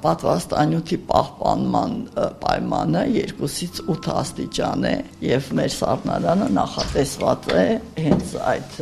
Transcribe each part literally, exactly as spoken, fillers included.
Պատվաստանյութի պահպանման պայմանը երկուսից ութ աստիճան է եւ մեր սառնարանը նախատեսված է հենց այդ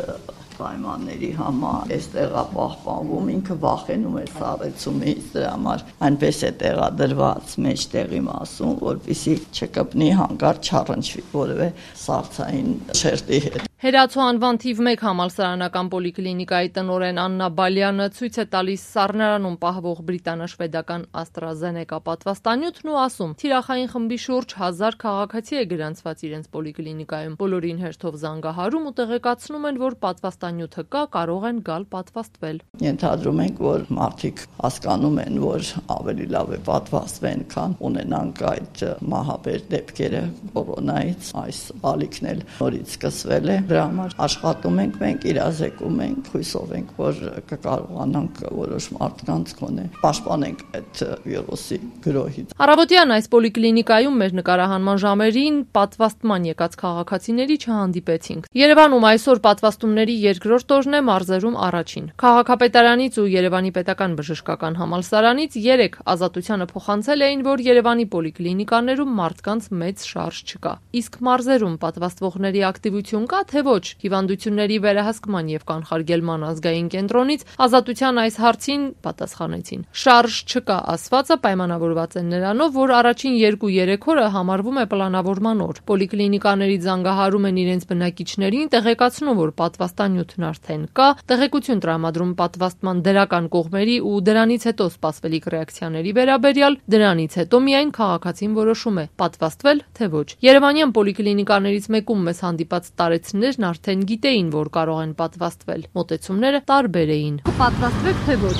պայմանների համար այստեղ է պահպանվում, ինքը վախենում է սառեցումից, դրա համար այնպես է տեղադրված մեջտեղի մասում, որպեսզի չկպնի հանկարծ չառնչվի որևէ սառցային շերտի հետ։ Հերացու անվան թիվ մեկ համալսարանական պոլիկլինիկայի տնօրեն Աննա Բալյանը ցույց է տալիս սառնարանում պահվող բրիտանա-շվեդական AstraZeneca պատվաստանյութն ու ասում՝ թիրախային խմբի շուրջ հազար քաղաքացի է գրանցված իրենց պոլիկլինիկայում։ Բոլորին հերթով զանգահարում ու տեղեկացնում են, որ պատվաստանյութը կա, կարող են գալ պատվաստվել։ Ենթադրում ենք, որ մարդիկ հասկանում են, որ ավելի լավ է պատվաստվեն, քան ունենանք այդ մահաբեր դեպքերը կորոնայից, այս ալիքն էլ նորից սկսվել է։ Դրա համար աշխատում ենք, մենք իրազեկում ենք, հույսով ենք, որ կկարողանանք որոշ մարդկանց գոնե պաշտպանենք այդ վիրուսի գրոհից։ Առավոտյան այս պոլիկլինիկայում մեր նկարահանման ժամերին պատվաստման եկած քաղաքացիների չհանդիպեցինք։ Երևանում այսօր պատվաստումների երկրորդ օրն է, մարզերում առաջին։ Քաղաքապետարանից ու Երևանի պետական բժշկական համալսարանից երեք ազատությանը փոխանցել էին, որ Երևանի պոլիկլինիկաներում մարդկանց մեծ շարժ չկա։ Իսկ մարզերում պատվաստվողների ակտիվություն կա, թե ոչ։ Հիվանդությունների վերահսկման եւ կանխարգելման ազգային կենտրոնից ազատության այս հարցին պատասխանեցին։ Շարժ չկա ասվածը պայմանավորված է նրանով, որ առաջին երկու-երեք օրը համարվում է պլանավորման օր։ Պոլիկլինիկաներից զանգահարում են իրենց բնակիչներին, տեղեկացնում, որ պատվաստանյութն արդեն կա, տեղեկություն տրամադրում պատվաստման դրական կողմերի ու դրանից հետո սպասվելիք ռեակցիաների վերաբերյալ, դրանից հետո միայն քաղաքացին որոշում է պատվաստվել, թե ոչ։ Երևանյան պոլիկլինիկաներից մեկում մեզ հանդիպած տարեցներն արդեն գիտեին, որ կարող են պատվաստվել։ Մոտեցումները տարբեր էին։ Պատվաստվեք, թե ոչ։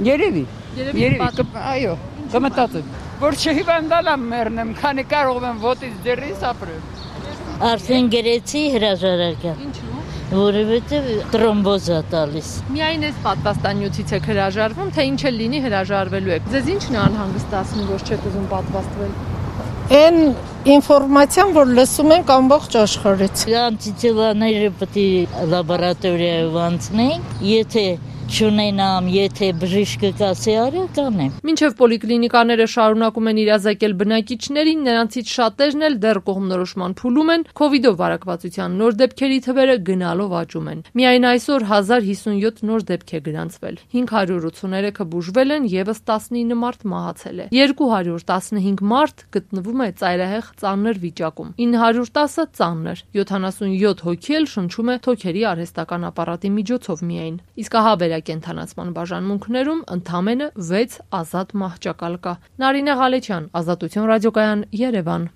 Երևի։ Երևի, այո, կմտածեմ, որ չհիվանդանամ մեռնեմ, քանի կարող եմ ոտից դեռիս ապրեմ։ Արդեն գրեցի հրաժարակը։ Ինչու՞։ Որովհետև տրոմբոզ է տալիս։ Միայն այս պատվաստանյութից եք հրաժարվում, թե ինչ էլ լինի հրաժարվելու եք։ Ձեզ ի՞նչն է անհանգստացնում, որ չեք ուզում պատվաստվել։ Այն ինֆորմացիան, որ լսում ենք ամբողջ աշխարհից։ Անտիթելաները պետք է լաբորատորիայով անցնենք, եթե չունենամ, եթե բժիշկը կասի արա, կանեմ։ Մինչև պոլիկլինիկաները շարունակում են իրազեկել բնակիչներին, նրանցից շատերն էլ դեռ կողմնորոշման փուլում են, քովիդով վարակվածության նոր դեպքերի թվերը գնալով աճում են։ Միայն այսօր հազար հիսունյոթ նոր դեպք է գրանցվել։ հինգ հարյուր ութսուներեքը բուժվել են, եւս տասնինը մարդ մահացել է։ երկու հարյուր տասնհինգ մարդ գտնվում է ծայրահեղ ծանր վիճակում։ ինը հարյուր տասը ծանր, յոթանասունյոթ հոգի էլ շնչում է թոքերի արհեստական ապարատի միջոցով միայն։ Իսկ ահա կենթանացման բաժանմունքներում ընդամենը վեց ազատ մահճակալ կա։ Նարինե Ղալեչյան, Ազատություն ռադիոկայան, Երևան։